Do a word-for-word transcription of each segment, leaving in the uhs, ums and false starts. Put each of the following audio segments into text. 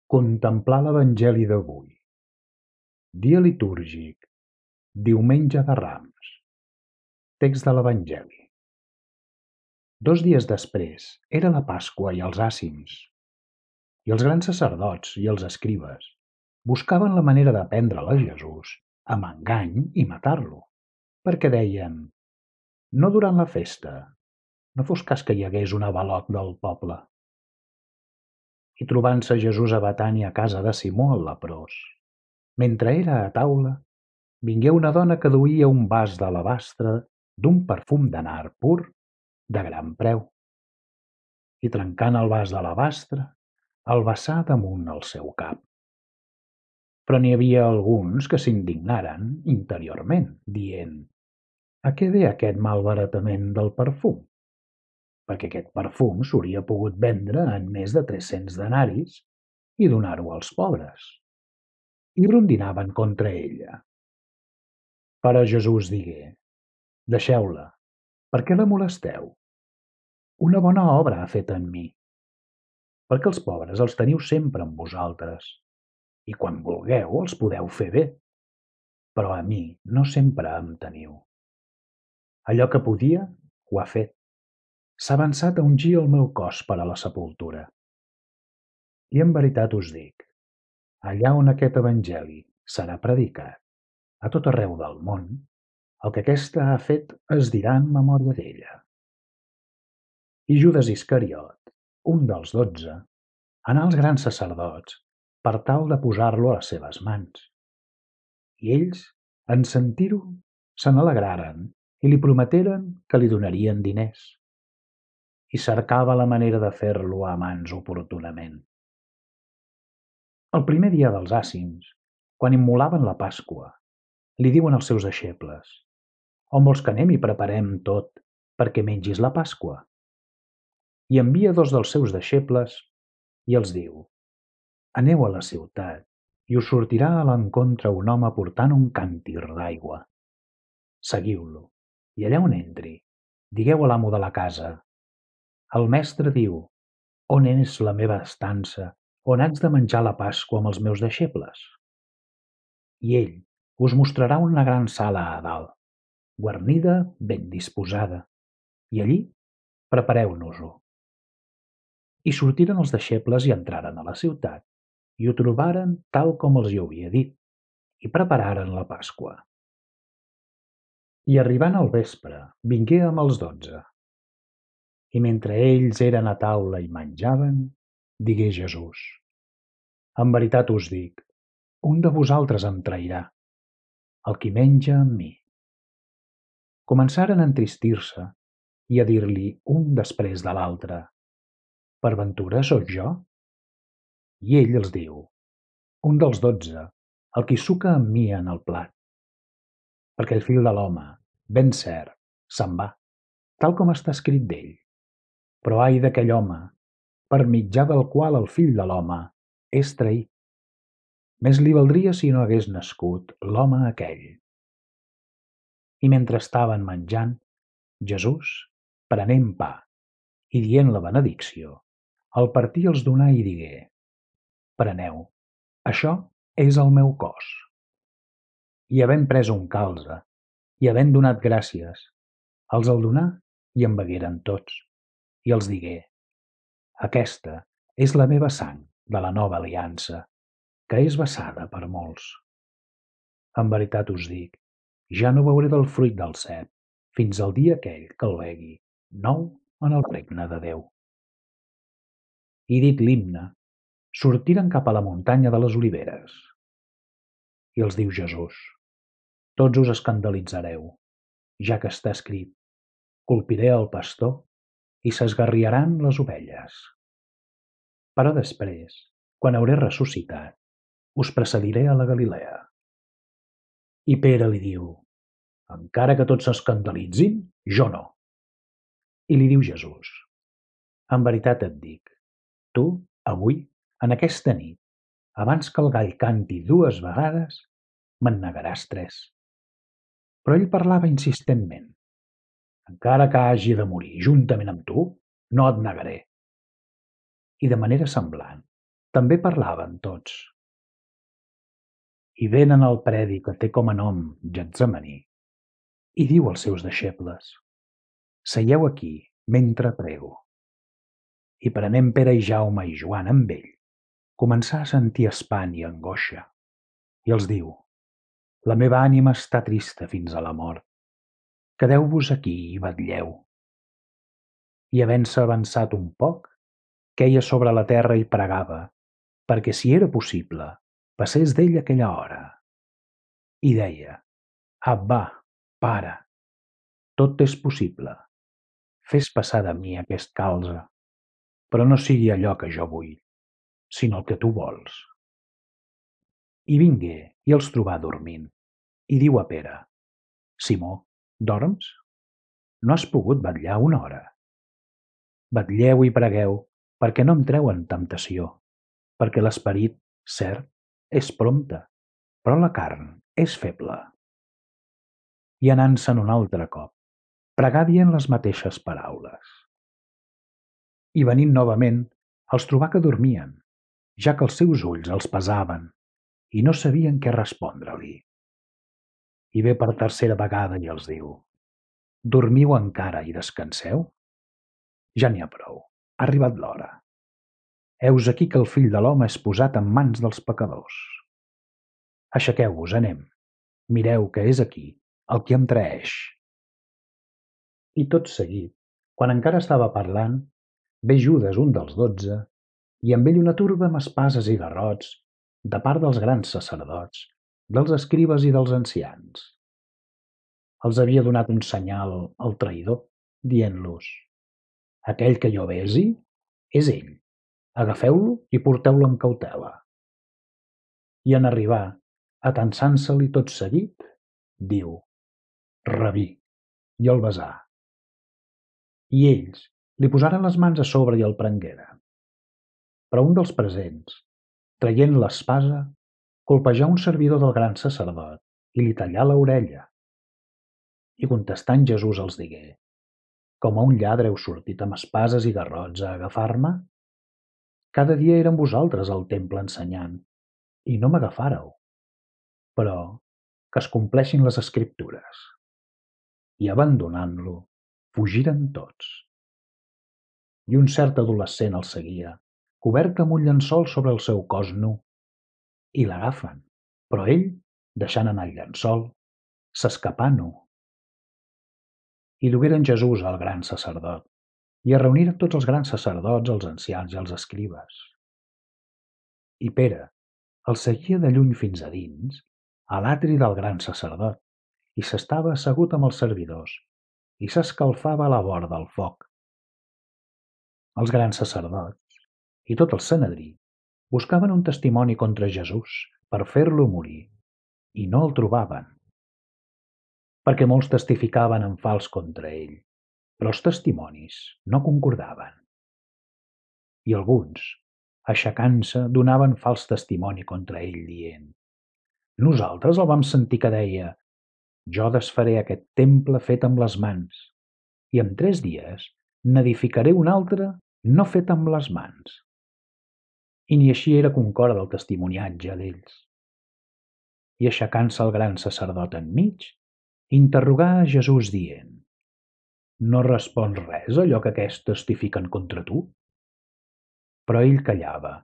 Contemplar l'Evangeli d'avui. Dia litúrgic. Diumenge de Rams. Text de l'Evangeli. Dos dies després era la Pasqua i els àcims, i els grans sacerdots i els escribes buscaven la manera de prendre'l a Jesús amb engany i matar-lo, perquè deien: no durant la festa, no fos cas que hi hagués un avalot del poble. I trobant-se Jesús a Betània a casa de Simó el leprós, mentre era a taula, vingué una dona que duia un vas d'alabastre d'un perfum de nard pur de gran preu, i trencant el vas d'alabastre, el vessà damunt el seu cap. Però n'hi havia alguns que s'indignaren interiorment, dient: a què ve aquest malbaratament del perfum? Perquè aquest perfum s'hauria pogut vendre en més de tres-cents denaris i donar-ho als pobres. I rondinaven contra ella. Però Jesús digué: deixeu-la, per què la molesteu? Una bona obra ha fet en mi, perquè els pobres els teniu sempre amb vosaltres, i quan vulgueu els podeu fer bé, però a mi no sempre em teniu. Allò que podia, ho ha fet. S'ha avançat a ungir el meu cos per a la sepultura. I en veritat us dic, allà on aquest evangeli serà predicat, a tot arreu del món, el que aquesta ha fet es dirà en memòria d'ella. I Judes Iscariot, un dels dotze, anà als grans sacerdots per tal de posar-lo a les seves mans. I ells, en sentir-ho, se n'alegraren i li prometeren que li donarien diners. I cercava la manera de fer-lo a mans oportunament. El primer dia dels àcims, quan immolaven la Pasqua, li diuen als seus deixebles: on vols que anem i preparem tot perquè mengis la Pasqua? I envia dos dels seus deixebles i els diu: aneu a la ciutat i us sortirà a l'encontre un home portant un càntir d'aigua. Seguiu-lo, i allà on entri, digueu a l'amo de la casa: el mestre diu, on és la meva estança, on haig de menjar la Pasqua amb els meus deixebles? I ell us mostrarà una gran sala a dalt, guarnida, ben disposada, i allí prepareu-nos-ho. I sortiren els deixebles i entraren a la ciutat, i ho trobaren tal com els hi havia dit, i prepararen la Pasqua. I arribant al vespre, vingué amb els dotze. I mentre ells eren a taula i menjaven, digué Jesús: en veritat us dic, un de vosaltres em trairà, el qui menja amb mi. Començaren a entristir-se i a dir-li un després de l'altre: per ventura sóc jo? I ell els diu: un dels dotze, el qui suca amb mi en el plat. Perquè el fill de l'home, ben cert, se'n va, tal com està escrit d'ell. Però ai d'aquell home, per mitjà del qual el fill de l'home és traït. Més li valdria si no hagués nascut l'home aquell. I mentre estaven menjant, Jesús, prenent pa i dient la benedicció, el partí els donà i digué: preneu, això és el meu cos. I havent pres un calze, i havent donat gràcies, els el donà i en begueren tots, i els digué: aquesta és la meva sang de la nova aliança, que és vessada per molts. En veritat us dic, ja no beuré del fruit del cep fins al dia aquell que el begui nou en el regne de Déu. I dit l'himne, sortiren cap a la muntanya de les Oliveres. I els diu Jesús: tots us escandalitzareu, ja que està escrit: colpiré el pastor i s'esgarriaran les ovelles. Però després, quan hauré ressuscitat, us precediré a la Galilea. I Pere li diu: encara que tots s'escandalitzin, jo no. I li diu Jesús: en veritat et dic, tu, avui, en aquesta nit, abans que el gall canti dues vegades, me'n negaràs tres. Però ell parlava insistentment: encara que hagi de morir juntament amb tu, no et negaré. I de manera semblant, També parlaven tots. I venen al predi que té com a nom Getsemaní i diu als seus deixebles: Seieu aquí mentre prego. I prenent Pere i Jaume i Joan amb ell, començà a sentir espant i angoixa, i els diu: La meva ànima està trista fins a la mort. Quedeu-vos aquí i vetlleu. I havent-se avançat un poc, queia sobre la terra i pregava, perquè si era possible, passés d'ell aquella hora. I deia: Abba, Pare, tot és possible. Fes passar de mi aquest calze, però no sigui allò que jo vull, sinó el que tu vols. I vingué i els trobà dormint, i diu a Pere: Simó, dorms? No has pogut vetllar una hora? Vetlleu i pregueu, perquè no entreu en temptació, perquè l'esperit, cert, és prompte, però la carn és feble. I anant-se'n un altre cop, pregà dient les mateixes paraules. I venint novament, els trobà que dormien, ja que els seus ulls els pesaven i no sabien què respondre-li. I ve per tercera vegada i els diu: Dormiu encara i descanseu? Ja n'hi ha prou, ha arribat l'hora. Heus aquí que el fill de l'home és posat en mans dels pecadors. Aixequeu-vos, anem. Mireu que és aquí el qui em traeix. I tot seguit, quan encara estava parlant, ve Judes, un dels dotze, i amb ell una turba amb espases i garrots, de part dels grans sacerdots, dels escribes i dels ancians. Els havia donat un senyal al traïdor, dient-los: Aquell que jo besi és ell. Agafeu-lo i porteu-lo amb cautela. I en arribar, atansant-se-li tot seguit, diu: Rabí, i el besà. I ells li posaren les mans a sobre i el prengueren. Però un dels presents, traient l'espasa, colpejà un servidor del gran sacerdot i li tallà l'orella. I contestant Jesús els digué: Com a un lladre heu sortit amb espases i garrots a agafar-me? Cada dia era amb vosaltres al temple ensenyant, i no m'agafàreu. Però que es compleixin les escriptures. I abandonant-lo, fugiren tots. I un cert adolescent el seguia, cobert amb un llençol sobre el seu cos nu. I l'agafen, però ell, deixant anar el llençol, s'escapà nu. I dugueren Jesús al gran sacerdot, i es reuniren tots els grans sacerdots, els ancians i els escribes. I Pere el seguia de lluny fins a dins, a l'atri del gran sacerdot, i s'estava assegut amb els servidors, i s'escalfava a la vora del foc. Els grans sacerdots i tot el Sanedrí buscaven un testimoni contra Jesús per fer-lo morir, i no el trobaven, perquè molts testificaven en fals contra ell, però els testimonis no concordaven. I alguns, aixecant-se, donaven fals testimoni contra ell, dient: Nosaltres el vam sentir que deia: Jo desfaré aquest temple fet amb les mans, i en tres dies n'edificaré un altre no fet amb les mans. I ni així era concord el testimoniatge d'ells. I aixecant-se el gran sacerdot enmig, interrogà a Jesús dient: No respons res a allò que aquests testifiquen contra tu? Però ell callava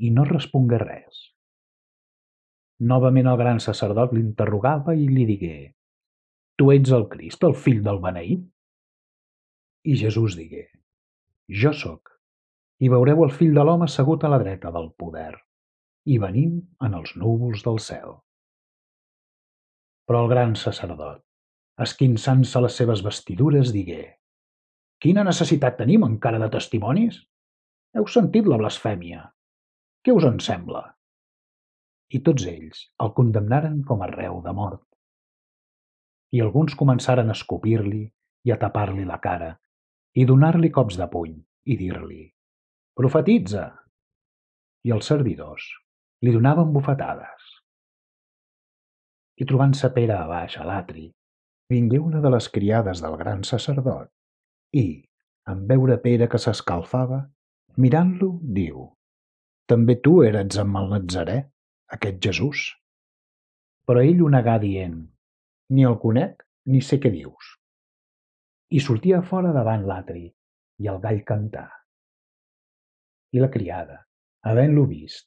i no respongué res. Novament el gran sacerdot l'interrogava i li digué: Tu ets el Crist, el fill del beneït? I Jesús digué: Jo sóc, i veureu el fill de l'home assegut a la dreta del poder, i venint en els núvols del cel. Però el gran sacerdot, esquinçant-se les seves vestidures, digué: Quina necessitat tenim encara de testimonis? Heu sentit la blasfèmia. Què us en sembla? I tots ells el condemnaren com a reu de mort. I alguns començaren a escopir-li i a tapar-li la cara, i donar-li cops de puny, i dir-li: Profetitza! I els servidors li donaven bufetades. I trobant-se Pere a baix a l'atri, vingué una de les criades del gran sacerdot, i, en veure Pere que s'escalfava, mirant-lo, diu: també tu eres amb el Natzarè, aquest Jesús. Però ell ho negà dient: Ni el conec ni sé què dius. I sortia a fora davant l'atri, i el gall cantà. I la criada, havent-lo vist,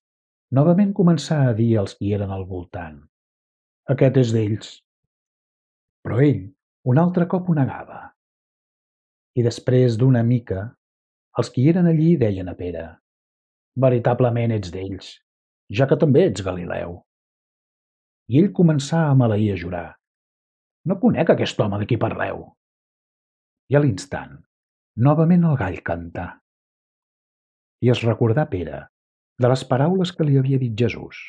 novament començà a dir als qui eren al voltant: Aquest és d'ells. Però ell un altre cop ho negava. I després d'una mica, els qui eren allí deien a Pere: Veritablement ets d'ells, ja que també ets Galileu. I ell començà a maleir a jurar: No conec aquest home de qui parleu. I a l'instant, novament el gall cantà. I es recordà Pere de les paraules que li havia dit Jesús: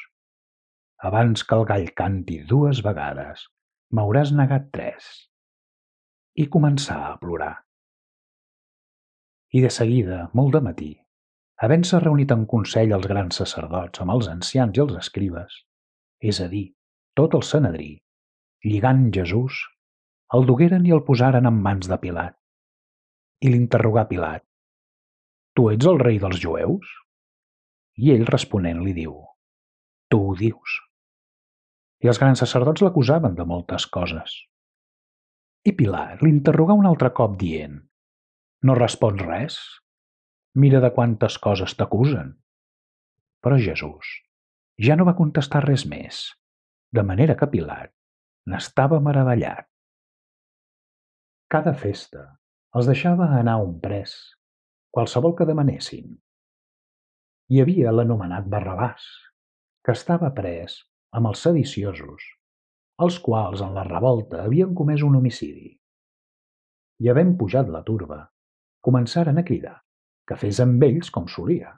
Abans que el gall canti dues vegades, m'hauràs negat tres. I començà a plorar. I de seguida, molt de matí, havent-se reunit en consell els grans sacerdots amb els ancians i els escribes, és a dir, tot el Sanedrí, lligant Jesús, el dugueren i el posaren en mans de Pilat. I l'interrogà Pilat: Tu ets el rei dels jueus? I ell responent li diu: Tu ho dius. I els grans sacerdots l'acusaven de moltes coses. I Pilat l'interrogà un altre cop dient: No respons res? Mira de quantes coses t'acusen. Però Jesús ja no va contestar res més, de manera que Pilat n'estava meravellat. Cada festa els deixava anar un pres, qualsevol que demanessin. Hi havia l'anomenat Barrabàs, que estava pres amb els sediciosos, els quals en la revolta havien comès un homicidi. I havent pujat la turba, començaren a cridar que fes amb ells com solia.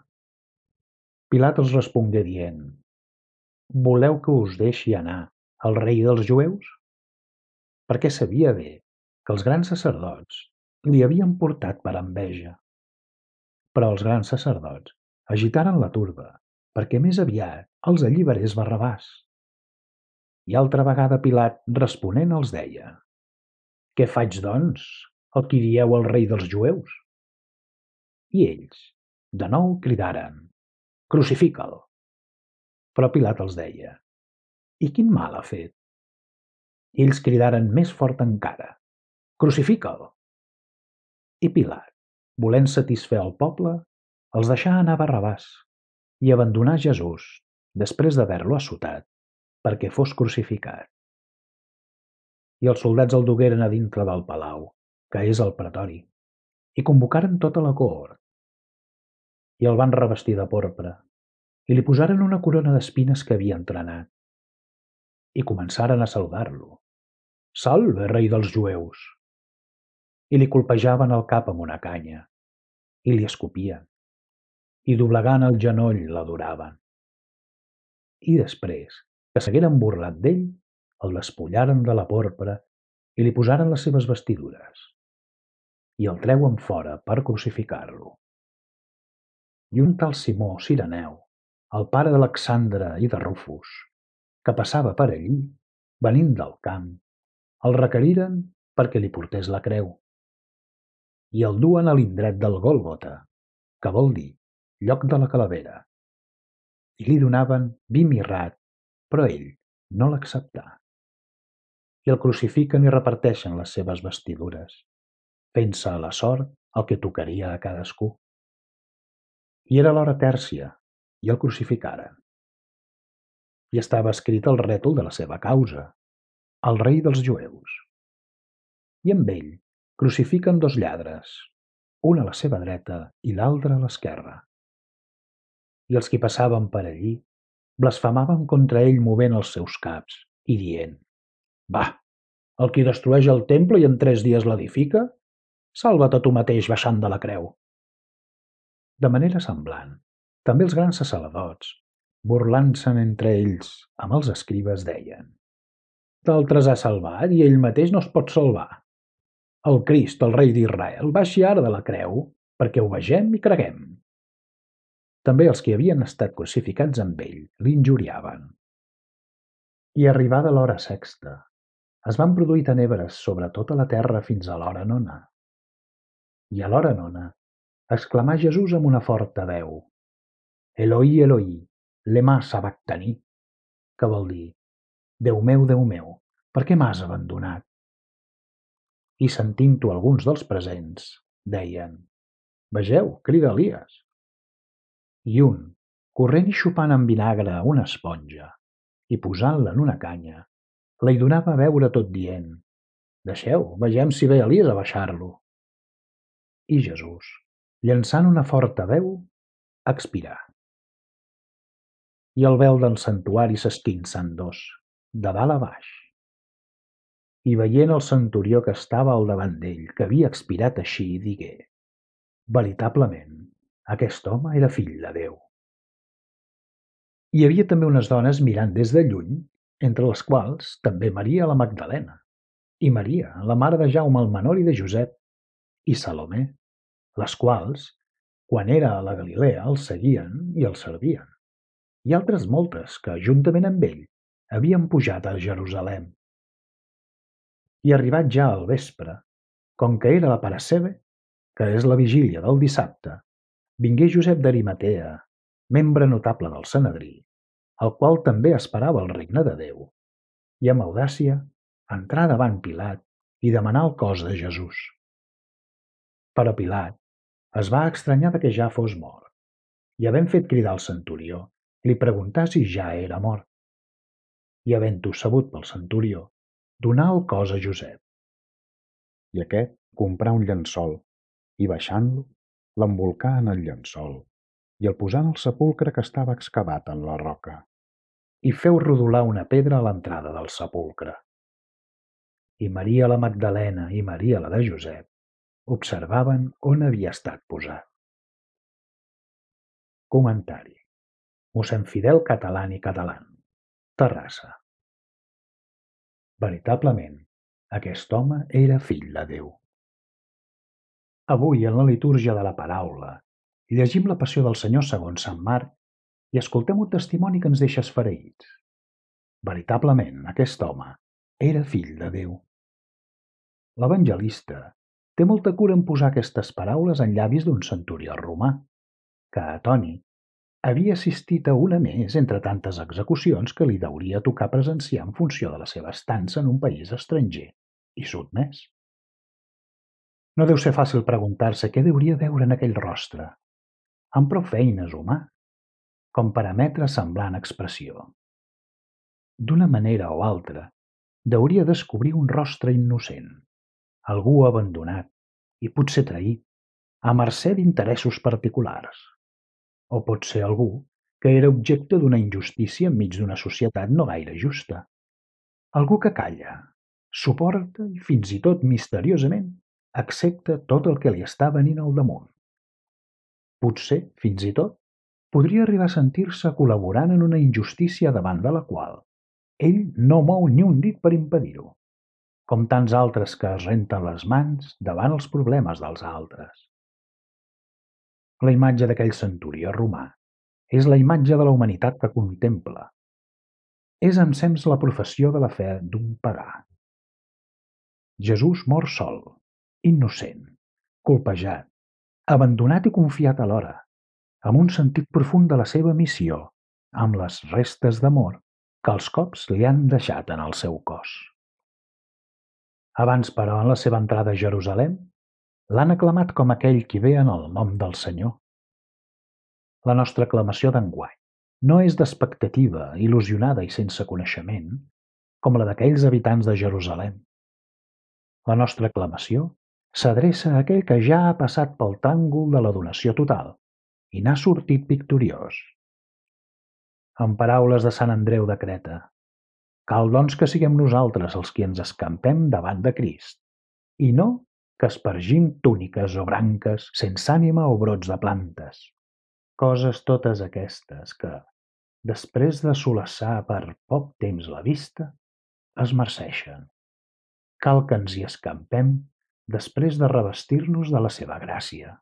Pilat els respongué dient: Voleu que us deixi anar el rei dels jueus? Perquè sabia bé que els grans sacerdots li havien portat per enveja. Però els grans sacerdots agitaren la turba perquè més aviat els alliberés Barrabàs. I altra vegada Pilat responent els deia: Què faig, doncs, el qui dieu el rei dels jueus? I ells, de nou, cridaren: Crucifica'l. Però Pilat els deia: I quin mal ha fet? I ells cridaren més fort encara: Crucifica'l. I Pilat, volent satisfer el poble, els deixà anar Barrabàs i abandonà Jesús, després d'haver-lo assotat, perquè fos crucificat. I els soldats el dugueren a dintre del palau, que és el pretori, i convocaren tota la cohort. I el van revestir de porpra, i li posaren una corona d'espines que havia entrenat. I començaren a saludar-lo: Salve, rei dels jueus! I li colpejaven el cap amb una canya, i li escopien, i doblegant el genoll l'adoraven. I després, que s'hagueren burlat d'ell, el despullaren de la porpra i li posaren les seves vestidures, i el treuen fora per crucificar-lo. I un tal Simó Cireneu, el pare d'Alexandre i de Rufus, que passava per allí, venint del camp, el requeriren perquè li portés la creu. I el duen a l'indret del Gòlgota, que vol dir lloc de la calavera. I li donaven vi mirrat, però ell no l'acceptà. I el crucifiquen i reparteixen les seves vestidures, fent-se a la sort el que tocaria a cadascú. I era l'hora tèrcia, i el crucificaren. I estava escrit el rètol de la seva causa: el rei dels jueus. I amb ell crucifiquen dos lladres, un a la seva dreta i l'altre a l'esquerra. I els qui passaven per allí blasfemaven contra ell movent els seus caps i dient: Va, el qui destrueix el temple i en tres dies l'edifica, salva't a tu mateix baixant de la creu. De manera semblant, també els grans sacerdots, burlant-se'n entre ells amb els escribes, deien: D'altres ha salvat i ell mateix no es pot salvar. El Crist, el rei d'Israel, baixi ara de la creu perquè ho vegem i creguem. També els que havien estat crucificats amb ell l'injuriaven. I arribada l'hora sexta, es van produir tenebres sobre tota la terra fins a l'hora nona. I a l'hora nona exclamà Jesús amb una forta veu: Eloi, Eloi, lema sabactani, que vol dir Déu meu, Déu meu, per què m'has abandonat? I sentint-ho alguns dels presents, deien: Vegeu, crida Elies. I un, corrent i xupant amb vinagre una esponja i posant-la en una canya, la hi donava a beure tot dient: Deixeu, vegem si ve Elies a baixar-lo. I Jesús, llançant una forta veu, expirà. I el vel del santuari s'esquinça en dos, de dalt a baix. I veient el centurió que estava al davant d'ell, que havia expirat així, digué: Veritablement, aquest home era fill de Déu. Hi havia també unes dones mirant des de lluny, entre les quals també Maria la Magdalena, i Maria, la mare de Jaume el menor i de Josep, i Salomé, les quals, quan era a la Galilea, el seguien i el servien, i altres moltes que, juntament amb ell, havien pujat a Jerusalem. I arribat ja al vespre, com que era la Parasceve, que és la vigília del dissabte, vingué Josep d'Arimatea, membre notable del Sanedrí, el qual també esperava el regne de Déu, i amb audàcia entrà davant Pilat i demanà el cos de Jesús. Però Pilat es va estranyar de que ja fos mort, i havent fet cridar el centurió, li preguntà si ja era mort. I havent-ho sabut pel centurió, donà el cos a Josep. I aquest comprà un llençol, i baixant-lo, l'embolcà en el llençol, i el posà en el sepulcre que estava excavat en la roca, i feu rodolar una pedra a l'entrada del sepulcre. I Maria la Magdalena i Maria la de Josep observaven on havia estat posat. Comentari. Mossèn Fidel Catalán i Catalán, Terrassa. Veritablement, aquest home era fill de Déu. Avui, en la litúrgia de la paraula, llegim la passió del Senyor segons Sant Marc i escoltem un testimoni que ens deixa esfereïts. Veritablement, aquest home era fill de Déu. L'evangelista té molta cura en posar aquestes paraules en llavis d'un centurió romà, que, atònit, havia assistit a una més entre tantes execucions que li hauria tocar presenciar en funció de la seva estança en un país estranger i sotmès. No deu ser fàcil preguntar-se què hauria veure en aquell rostre, amb prou feines humà, com per emetre semblant expressió. D'una manera o altra, hauria descobrir un rostre innocent, algú abandonat i potser traït, a mercè d'interessos particulars. O pot ser algú que era objecte d'una injustícia enmig d'una societat no gaire justa. Algú que calla, suporta i fins i tot misteriosament accepta tot el que li està venint al damunt. Potser, fins i tot, podria arribar a sentir-se col·laborant en una injustícia davant de la qual ell no mou ni un dit per impedir-ho, com tants altres que es renten les mans davant els problemes dels altres. La imatge d'aquell centurió romà és la imatge de la humanitat que contempla. És ensems la professió de la fe d'un pagà. Jesús mor sol, innocent, colpejat, abandonat i confiat alhora, amb un sentit profund de la seva missió, amb les restes d'amor que els cops li han deixat en el seu cos. Abans, però, en la seva entrada a Jerusalem, l'han aclamat com aquell qui ve en el nom del Senyor. La nostra aclamació d'enguany no és d'expectativa, il·lusionada i sense coneixement, com la d'aquells habitants de Jerusalem. La nostra aclamació s'adreça a aquell que ja ha passat pel tràngol de la donació total i n'ha sortit victoriós. En paraules de Sant Andreu de Creta, cal doncs que siguem nosaltres els qui ens escampem davant de Crist, i no que espargim túniques o branques sense ànima o brots de plantes. Coses totes aquestes que, després de solaçar per poc temps la vista, es marceixen. Cal que ens hi escampem després de revestir-nos de la seva gràcia.